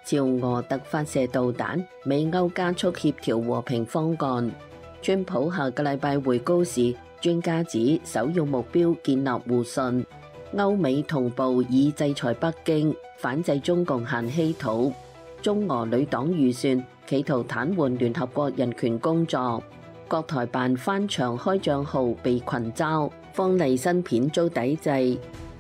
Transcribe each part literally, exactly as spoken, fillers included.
朝俄特發射導彈，美歐加速協調和平方案。川普下個禮拜回高市，專家指首要目標建立互信。歐美同步以制裁北京，反制中共限稀土。中俄女黨預算企圖癱瘓聯合國人權工作。國台辦翻牆開帳號被群嘲，方麗新片遭抵制。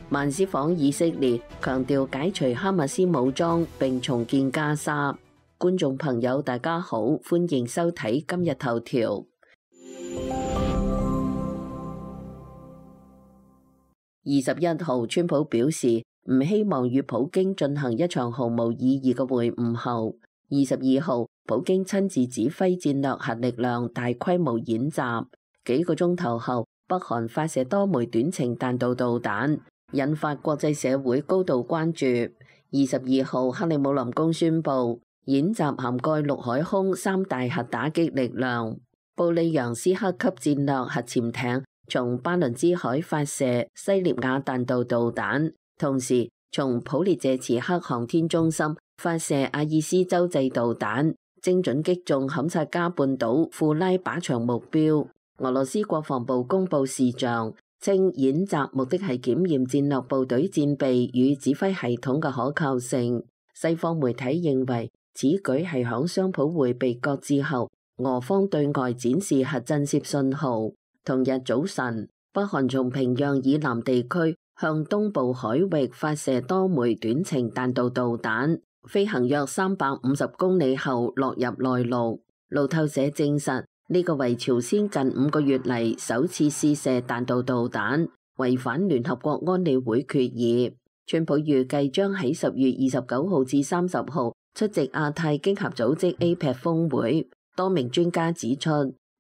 曼斯訪以色列，強調解除哈馬斯武裝並重建加沙。觀眾朋友大家好，歡迎收睇今日頭條。二十一號，川普表示唔希望與普京進行一場毫無意義嘅會晤後，二十二號，普京親自指揮戰略核力量大規模演習。幾個鐘頭後，北韓發射多枚短程彈道導彈，引發國際社會高度關注。二十二號，克里姆林宮宣布演習涵蓋陸海空三大核打擊力量。布里揚斯克級戰略核潛艇從巴倫支海發射西涅亞彈道導彈，同時從普列謝茨克航天中心發射阿爾斯洲際導彈，精準擊中坎察加半島庫拉靶場目標。俄羅斯國防部公布視像，稱演習目的係檢驗戰略部隊戰備與指揮系統嘅可靠性。西方媒體認為此舉係響雙普會被擱置後，俄方對外展示核震懾信號。同日早晨，北韓從平壤以南地區向東部海域發射多枚短程彈道導彈，飛行約三百五十公里後落入內陸。路透社證實，呢個為朝鮮近五個月嚟首次試射彈道導彈，違反聯合國安理會決議。川普預計將喺十月二十九號至三十號出席亞太經合組織 A P E C 峰會。多名專家指出，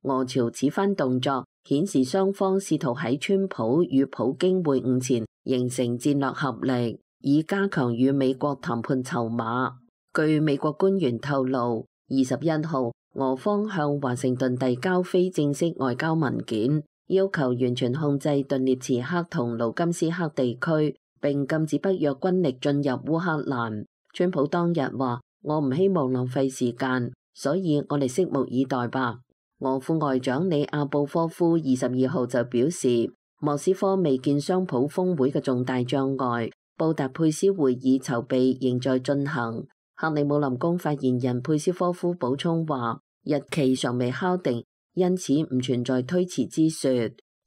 俄朝此番動作顯示雙方試圖喺川普與普京會晤前形成戰略合力，以加強與美國談判籌碼。據美國官員透露，二十一號俄方向華盛頓遞交非正式外交文件，要求完全控制頓涅茨克同盧甘斯克地區，並禁止北約軍力進入烏克蘭。川普當日話：我唔希望浪費時間，所以我哋拭目以待吧。俄副外長里亞布科夫二十二號就表示，莫斯科未見雙普峰會嘅重大障礙，布達佩斯會議籌備仍在進行。克里姆林宮發言人佩斯科夫補充話，日期尚未敲定，因此唔存在推遲之說。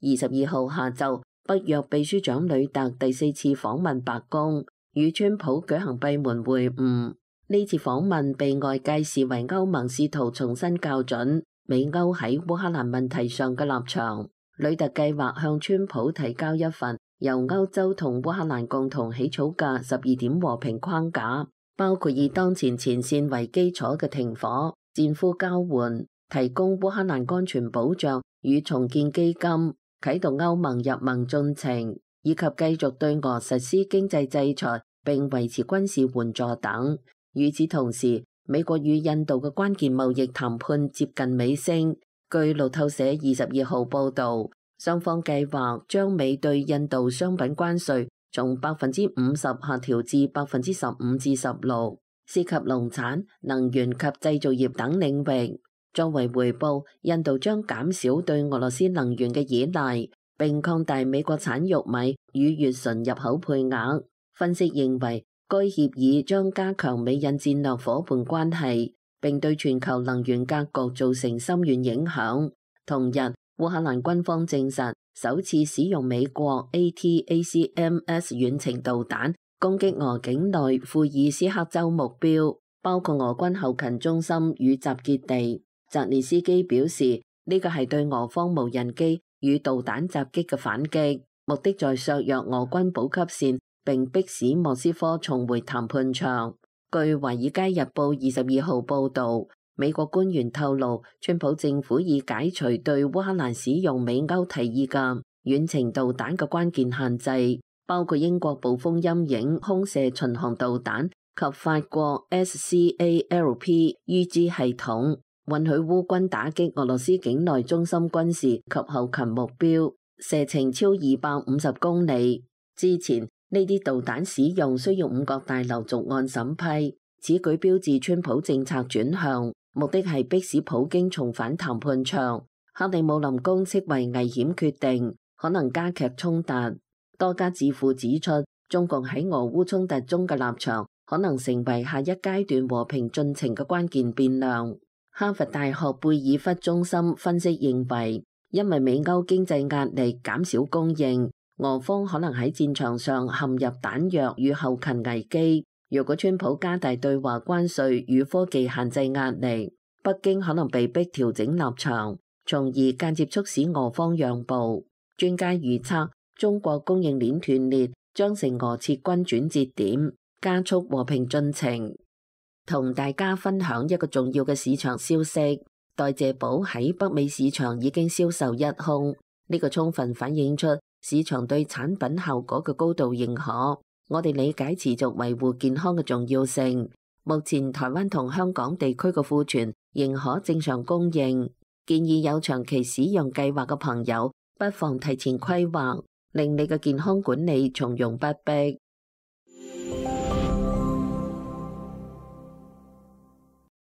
二十二號下晝，北約秘書長呂特第四次訪問白宮，與川普舉行閉門會晤。呢次訪問被外界視為歐盟試圖重新校準美歐喺烏克蘭問題上嘅立場。呂特計劃向川普提交一份由歐洲同烏克蘭共同起草嘅十二點和平框架，包括以當前前線為基礎嘅停火、戰俘交換、提供烏克蘭安全保障與重建基金、啟動歐盟入盟進程，以及繼續對俄實施經濟制裁並維持軍事援助等。與此同時，美國與印度嘅關鍵貿易談判接近尾聲。據路透社二十二號報導，雙方計劃將美對印度商品關稅從百分之五十下調至百分之十五至十六，涉及農產、能源及製造業等領域。作為回報，印度將減少對俄羅斯能源嘅依賴，並擴大美國產玉米與乙醇入口配額。分析認為，該協議將加強美印戰略夥伴關係，並對全球能源格局造成深遠影響。同日，烏克蘭軍方證實首次使用美國 A T A C M S 遠程導彈攻擊俄境內庫爾斯克州目標，包括俄軍後勤中心與集結地。澤連斯基表示，呢個係對俄方無人機與導彈襲擊嘅反擊，目的在削弱俄軍補給線，並迫使莫斯科重回談判場。據《華爾街日報》二十二號報導，美國官員透露，川普政府已解除對烏克蘭使用美歐提議嘅遠程導彈嘅關鍵限制，包括英國暴風陰影空射巡航導彈及法國 S C A L P U G 系統，允許烏軍打擊俄羅斯境內中心軍事及後勤目標，射程超二百五十公里。之前呢啲導彈使用需要五角大樓逐案審批，此舉標誌川普政策轉向，目的係迫使普京重返談判場。克里姆林宮斥為危險決定，可能加劇衝突。多家智庫指出，中共喺俄烏衝突中嘅立場可能成為下一階段和平進程嘅關鍵變量。哈佛大學貝爾弗中心分析認為，因為美歐經濟壓力減少供應，俄方可能喺戰場上陷入彈藥與後勤危機。如果川普加大對華關稅與科技限制壓力，北京可能被迫調整立場，從而間接促使俄方讓步。專家預測，中國供應鏈斷裂將成俄撤軍轉折點，加速和平進程。同大家分享一個重要嘅市場消息，代謝寶喺北美市場已經銷售一空，呢個充分反映出市場對產品效果嘅高度認可。我哋理解持續維護健康嘅重要性。目前台灣同香港地區嘅庫存仍可正常供應，建議有長期使用計劃嘅朋友不妨提前規劃，令你嘅健康管理從容不迫。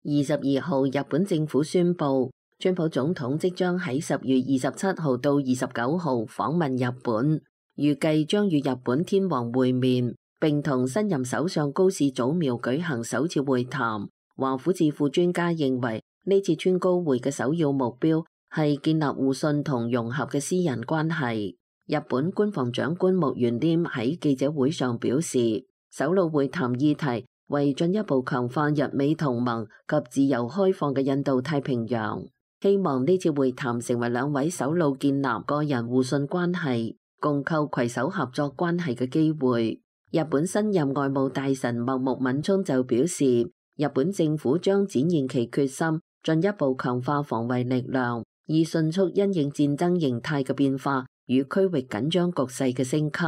二十二號，日本政府宣布，川普總統即將喺十月二十七號到二十九號訪問日本。預計將與日本天皇會面，並同新任首相高市早苗舉行首次會談。華府智庫專家認為，呢次川高會嘅首要目標係建立互信同融合嘅私人關係。日本官房長官木原稔喺記者會上表示，首腦會談議題為進一步強化日美同盟及自由開放嘅印度太平洋，希望呢次會談成為兩位首腦建立個人互信關係，共構攜手合作關係嘅機會。日本新任外務大臣茂木敏充就表示，日本政府將展現其決心，進一步強化防衛力量，以迅速因應戰爭形態嘅變化與區域緊張局勢嘅升級。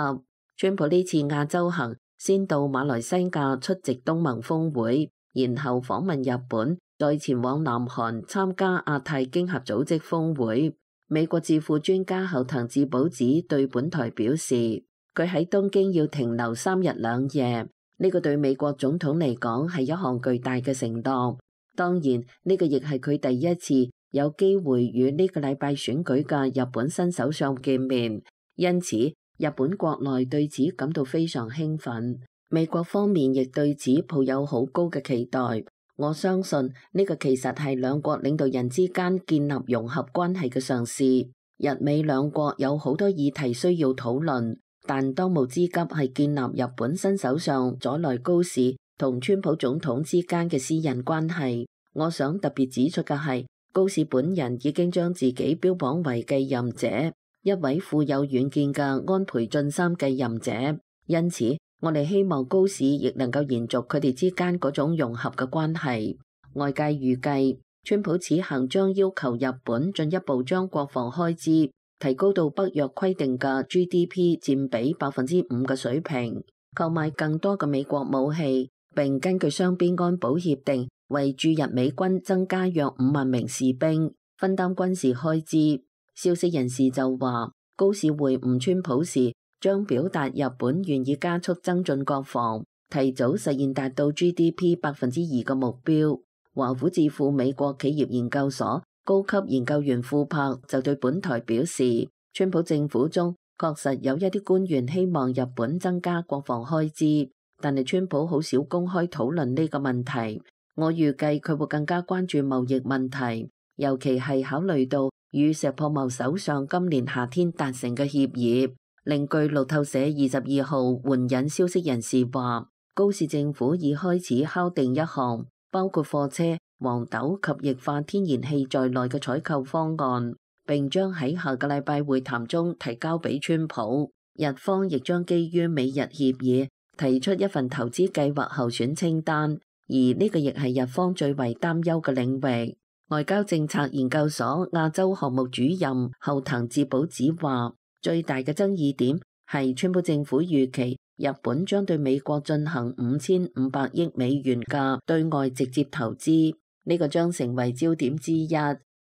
川普呢次亞洲行先到馬來西亞出席東盟峰會，然後訪問日本，再前往南韓參加亞太經合組織峰會。美國智庫專家後藤智保子對本台表示，佢喺東京要停留三日兩夜，呢個對美國總統嚟講係一項巨大嘅承諾。當然，呢個亦係佢第一次有機會與呢個禮拜選舉嘅日本新首相見面，因此日本國內對此感到非常興奮。美國方面亦對此抱有好高嘅期待。我相信呢個其實係兩國領導人之間建立融合關係嘅嘗試。日美兩國有好多議題需要討論，但當務之急係建立日本新首相佐萊高市同川普總統之間嘅私人關係。我想特別指出嘅係，高市本人已經將自己標榜為繼任者，一位富有遠見嘅安倍晉三繼任者。因此，我哋希望高市亦能夠延續佢哋之間嗰種融合嘅關係。外界預計，川普此行將要求日本進一步將國防開支提高到北約規定嘅 G D P 佔比百分之五嘅水平，購買更多嘅美國武器，並根據雙邊安保協定為駐日美軍增加約五萬名士兵，分擔軍事開支。消息人士就話，高市會晤川普時，將表達日本願意加速增進國防，提早實現達到 G D P 百分之二嘅目標。華府智庫美國企業研究所高級研究員庫柏就對本台表示，川普政府中確實有一啲官員希望日本增加國防開支，但係川普好少公開討論呢個問題。我預計佢會更加關注貿易問題，尤其係考慮到與石破茂首相今年夏天達成嘅協議。另據路透社二十二號援引消息人士話，高市政府已開始敲定一項包括貨車、黃豆及液化天然氣在內嘅採購方案，並將喺下個禮拜會談中提交俾川普。日方亦將基於美日協議提出一份投資計劃候選清單，而呢個亦係日方最為擔憂嘅領域。外交政策研究所亞洲項目主任後藤智保子話，最大嘅爭議點係川普政府預期日本將對美國進行五千五百億美元嘅對外直接投資，呢個將成為焦點之一。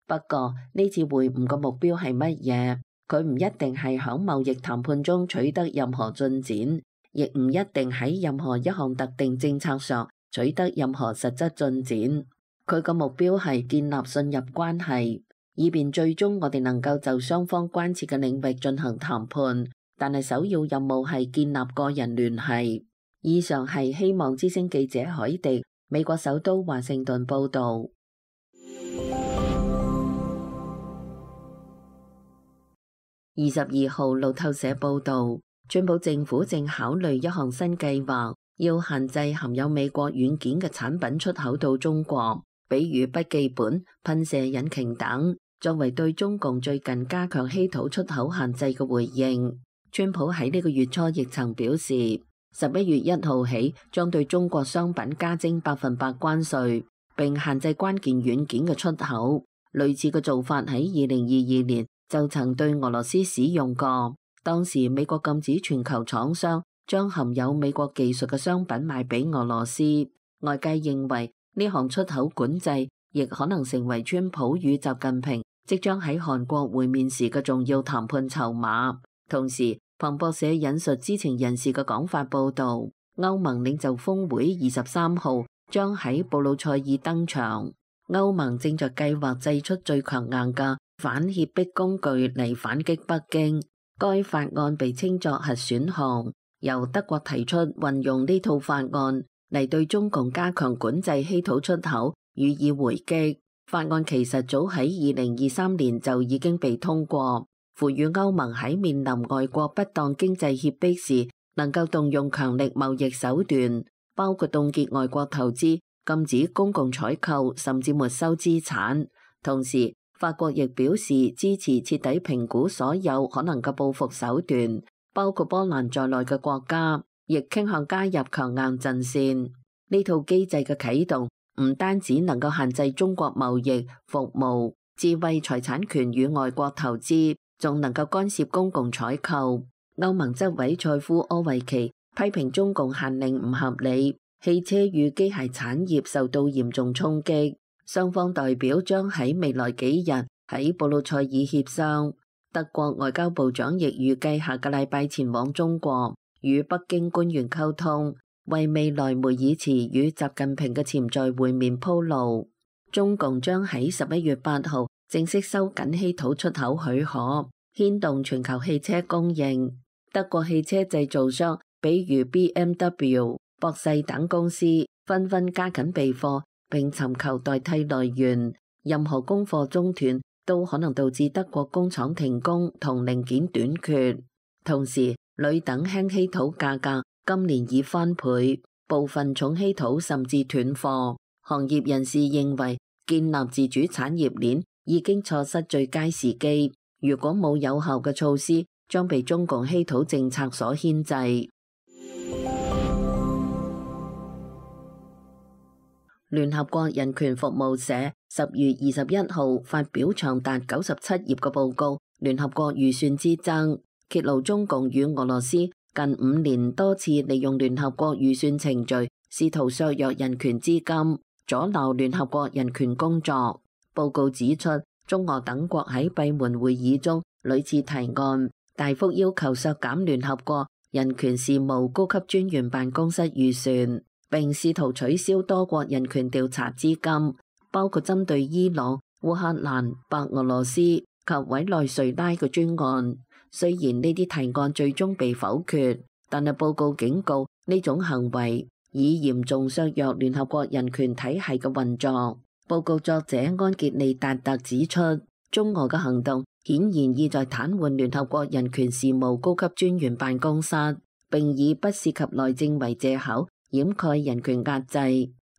不過呢次會晤嘅目標係乜嘢？佢唔一定係響貿易談判中取得任何進展，亦唔一定喺任何一項特定政策上取得任何實質進展。佢個目標係建立信任關係，以便最終我哋能夠就雙方關切嘅領域進行談判。但係首要任務係建立個人聯繫。以上係希望之聲記者海迪，美國首都華盛頓報導。二十二號路透社報導，川普政府正考慮一項新計劃，要限制含有美國軟件嘅產品出口到中國，比如筆記本、噴射引擎等，作為對中共最近加強稀土出口限制嘅回應。川普喺呢個月初亦曾表示，十一月一號起將對中國商品加徵百分百關稅，並限制關鍵軟件嘅出口。類似嘅做法喺二零二二年就曾對俄羅斯使用過，當時美國禁止全球廠商將含有美國技術嘅商品賣俾俄羅斯。外界認為呢項出口管制亦可能成為川普與習近平即將喺韓國會面時嘅重要談判籌碼。同時，彭博社引述知情人士嘅講法報道，歐盟領袖峰會二十三號將喺布魯塞爾登場。歐盟正在計劃製出最強硬嘅反脅迫工具嚟反擊北京。該法案被稱作核選項，由德國提出運用呢套法案嚟對中共加強管制稀土出口予以回擊。法案其實早喺二零二三年就已經被通過，賦予歐盟喺面臨外國不當經濟脅迫時，能夠動用強力貿易手段，包括凍結外國投資、禁止公共採購，甚至沒收資產。同時，法國亦表示支持徹底評估所有可能嘅報復手段，包括波蘭在內嘅國家，亦傾向加入強硬陣線。呢套機制嘅啟動唔單止能夠限制中國貿易、服務、智慧財產權與外國投資，仲能夠干涉公共採購。歐盟執委塞夫柯維奇批評中共限令唔合理，汽車與機械產業受到嚴重衝擊。雙方代表將喺未來幾日喺布魯塞爾協商。德國外交部長亦預計下個禮拜前往中國，與北京官員溝通，為未來梅爾茨與習近平嘅潛在會面鋪路。中共將喺十一月八號正式收緊稀土出口許可，牽動全球汽車供應。德國汽車製造商，比如 B M W、博世等公司，紛紛加緊備貨，並尋求代替來源。任何供貨中斷都可能導致德國工廠停工同零件短缺。同時，鋁等輕稀土價格今年已翻倍，部分重稀土甚至斷貨。行業人士認為，建立自主產業鏈已經錯失最佳時機。如果冇有效嘅措施，將被中共稀土政策所牽制。聯合國人權服務社十月二十一號發表長達九十七頁嘅報告《聯合國預算之爭》，揭露中共與俄羅斯近五年多次利用聯合國預算程序，試圖削弱人權資金，阻撓聯合國人權工作。報告指出，中俄等國喺閉門會議中屢次提案，大幅要求削減聯合國人權事務高級專員辦公室預算，並試圖取消多國人權調查資金，包括針對伊朗、烏克蘭、白俄羅斯及委內瑞拉嘅專案。雖然呢啲提案最終被否決，但係報告警告呢種行為已嚴重削弱聯合國人權體系嘅運作。報告作者安傑利達特指出，中俄嘅行動顯然意在癱瘓聯合國人權事務高級專員辦公室，並以不涉及內政為借口掩蓋人權壓制。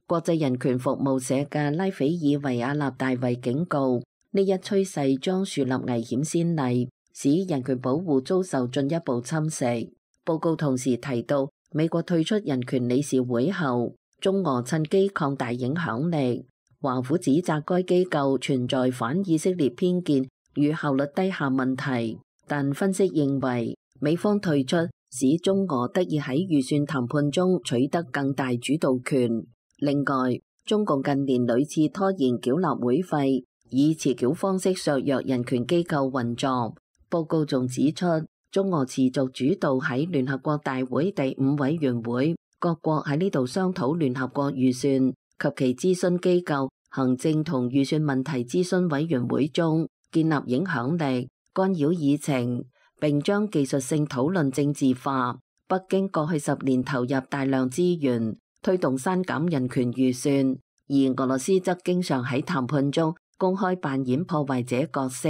國際人權服務社嘅拉斐爾維亞納大衛警告，呢一趨勢將樹立危險先例，使人權保護遭受進一步侵蝕。報告同時提到，美國退出人權理事會後，中俄趁機擴大影響力。華府指責該機構存在反以色列偏見與效率低下問題，但分析認為，美方退出使中俄得以喺預算談判中取得更大主導權。另外，中共近年屢次拖延繳納會費，以遲繳方式削弱人權機構運作。報告仲指出，中俄持續主導喺聯合國大會第五委員會各國喺呢度商討聯合國預算及其諮詢機構行政同預算問題諮詢委員會中建立影響力，干擾議程，並將技術性討論政治化。北京過去十年投入大量資源推動刪減人權預算，而俄羅斯則經常喺談判中公開扮演破壞者角色。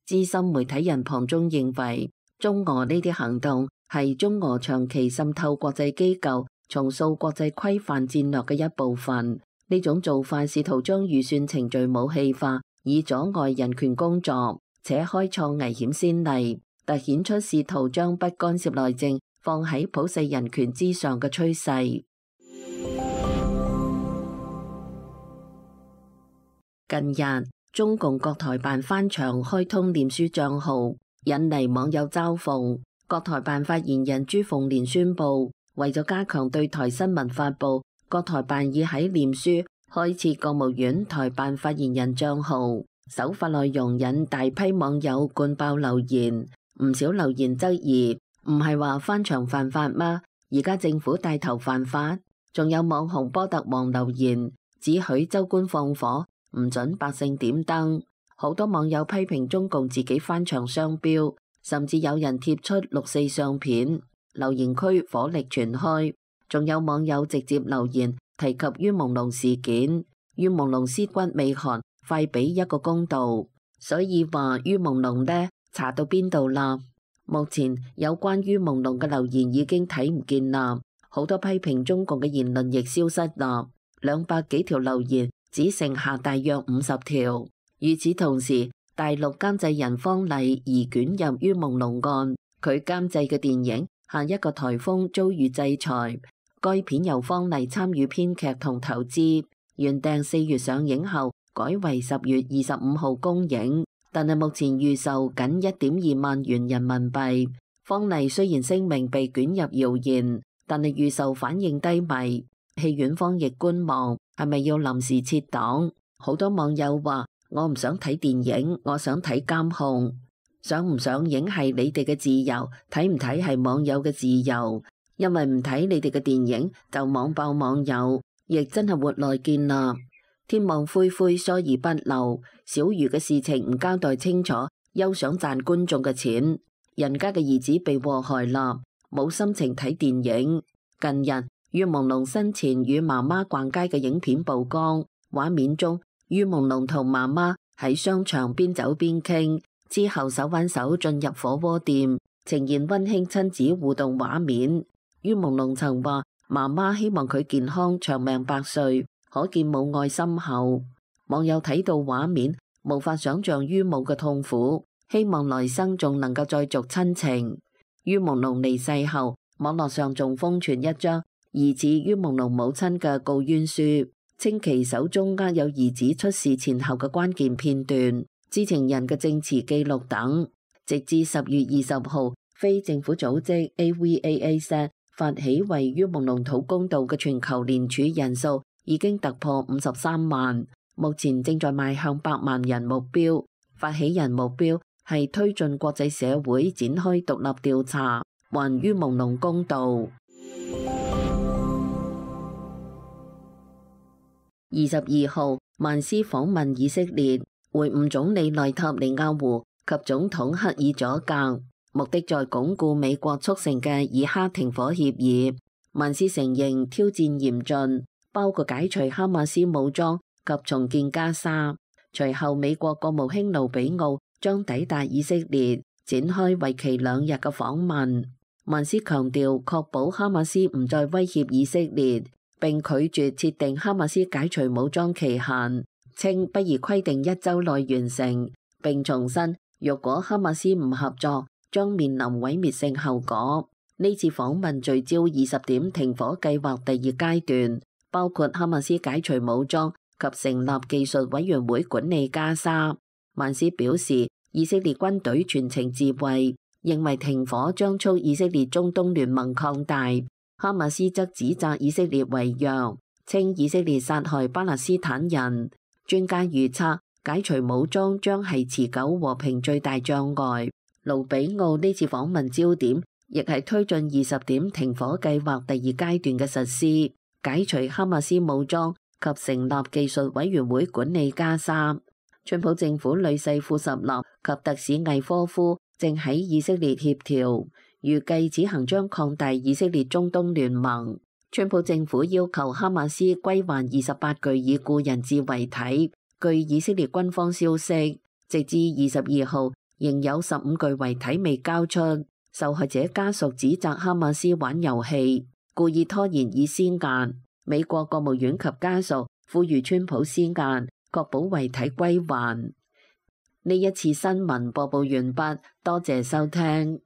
資深媒體人龐中認為，中俄呢啲行動係中俄長期滲透國際機構、重塑國際規範戰略嘅一部分。呢種做法試圖將預算程序武器化，以阻礙人權工作，且開創危險先例，凸顯出試圖將不干涉內政放喺普世人權之上嘅趨勢。近日，中共國台辦翻牆開通臉書帳號，引嚟網友嘲諷。國台辦發言人朱鳳蓮宣布，為咗加強對台新聞發布，國台辦已喺臉書開設國務院台辦發言人帳號。首發內容引大批網友灌爆留言，唔少留言質疑，唔係話翻牆犯法嗎？而家政府帶頭犯法？仲有網紅波特王留言，只許州官放火，唔准百姓點燈。好多網友批評中共自己翻牆雙標，甚至有人貼出六四相片，留言區火力全開。仲有網友直接留言提及于朦朧事件，于朦朧屍骨未寒，快俾一個公道。所以話于朦朧呢，查到邊度啦？目前有關于朦朧嘅留言已經睇唔見啦，好多批評中共嘅言論亦消失啦，兩百幾條留言只剩下大約五十條。與此同時，大陸監製人方麗疑捲入于朦朧案，佢監製嘅電影下一個颱風遭遇制裁。該片由方麗參與編劇同投資，原定四月上映後改為十月二十五號公映，但係目前預售僅一點二萬元人民幣。方麗雖然聲明被捲入謠言，但係預售反應低迷，戲院方亦觀望，係咪要臨時撤檔？好多網友話：我唔想睇電影，我想睇監控。上唔上映係你哋嘅自由，睇唔睇係網友嘅自由。因為唔睇你哋嘅電影就網爆網友，亦真係活來見啦。天網恢恢，疏而不漏，小魚嘅事情唔交代清楚，休想賺觀眾嘅錢。人家嘅兒子被禍害啦，冇心情睇電影。近日，于朦朧生前與媽媽逛街嘅影片曝光，畫面中于朦朧同媽媽喺商場邊走邊傾，之後手挽手進入火鍋店，呈現溫馨親子互動畫面。于朦朧曾話：媽媽希望佢健康長命百歲，可見母愛深厚。網友睇到畫面，無法想象于母嘅痛苦，希望來生仲能夠再續親情。于朦朧離世後，網絡上仲瘋傳一張疑似于朦朧母親嘅告冤書，稱其手中握有兒子出事前後嘅關鍵片段、知情人嘅證詞記錄等。直至十月二十號，非政府組織 A V A A S 發起為于朦朧討公道嘅全球聯署人數已經突破五十三萬，目前正在邁向百萬人目標。發起人目標係推進國際社會展開獨立調查，還于朦朧公道。二十二號，曼斯訪問以色列，會晤總理內塔尼亞胡及總統克爾佐格，目的在鞏固美國促成嘅以哈停火協議。曼斯承認挑戰嚴峻，包括解除哈馬斯武裝及重建加沙。隨後，美國國務卿盧比奧將抵達以色列，展開為期兩日嘅訪問。曼斯強調確保哈馬斯唔再威脅以色列，並拒絕設定哈馬斯解除武裝期限，稱不宜規定一週內完成，並重申若果哈馬斯唔合作，將面臨毀滅性後果。呢次訪問聚焦二十點停火計劃第二階段，包括哈馬斯解除武裝及成立技術委員會管理加沙。曼斯表示，以色列軍隊全程自衛，認為停火將促以色列中東聯盟擴大。哈馬斯則指責以色列違約，稱以色列殺害巴勒斯坦人。專家預測，解除武裝將係持久和平最大障礙。盧比奧呢次訪問焦點亦係推進二十點停火計劃第二階段嘅實施，解除哈馬斯武裝及成立技術委員會管理加沙。川普政府女婿庫什納及特使魏科夫正喺以色列協調，預計此行將擴大以色列中東聯盟。川普政府要求哈馬斯歸還二十八具已故人質遺體。據以色列軍方消息，直至二十二號，仍有十五具遺體未交出。受害者家屬指責哈馬斯玩遊戲，故意拖延以施壓。美國國務院及家屬呼籲川普施壓，確保遺體歸還。呢一次新聞播報完畢，多謝收聽。